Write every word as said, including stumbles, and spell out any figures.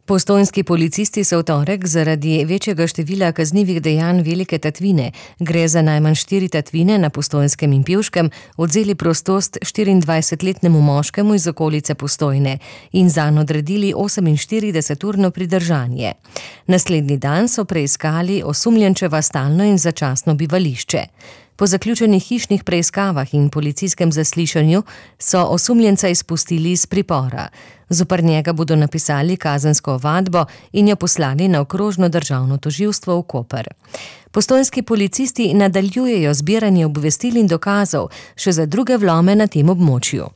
Postojnski policisti so v torek zaradi večjega števila kaznivih dejanj velike tatvine, gre za najmanj štiri tatvine na Postojnskem in Pivškem, odvzeli prostost štiriindvajsetletnemu moškemu iz okolice Postojne in zanj odredili oseminštirideseturno pridržanje. Naslednji dan so preiskali osumljenčeva stalno in začasno bivališče. Po zaključenih hišnih preiskavah in policijskem zaslišanju so osumljenca izpustili iz pripora. Zoper njega bodo napisali kazensko ovadbo in jo poslali na okrožno državno tožilstvo v Koper. Postojnski policisti nadaljujejo zbiranje obvestil in dokazov še za druge vlome na tem območju.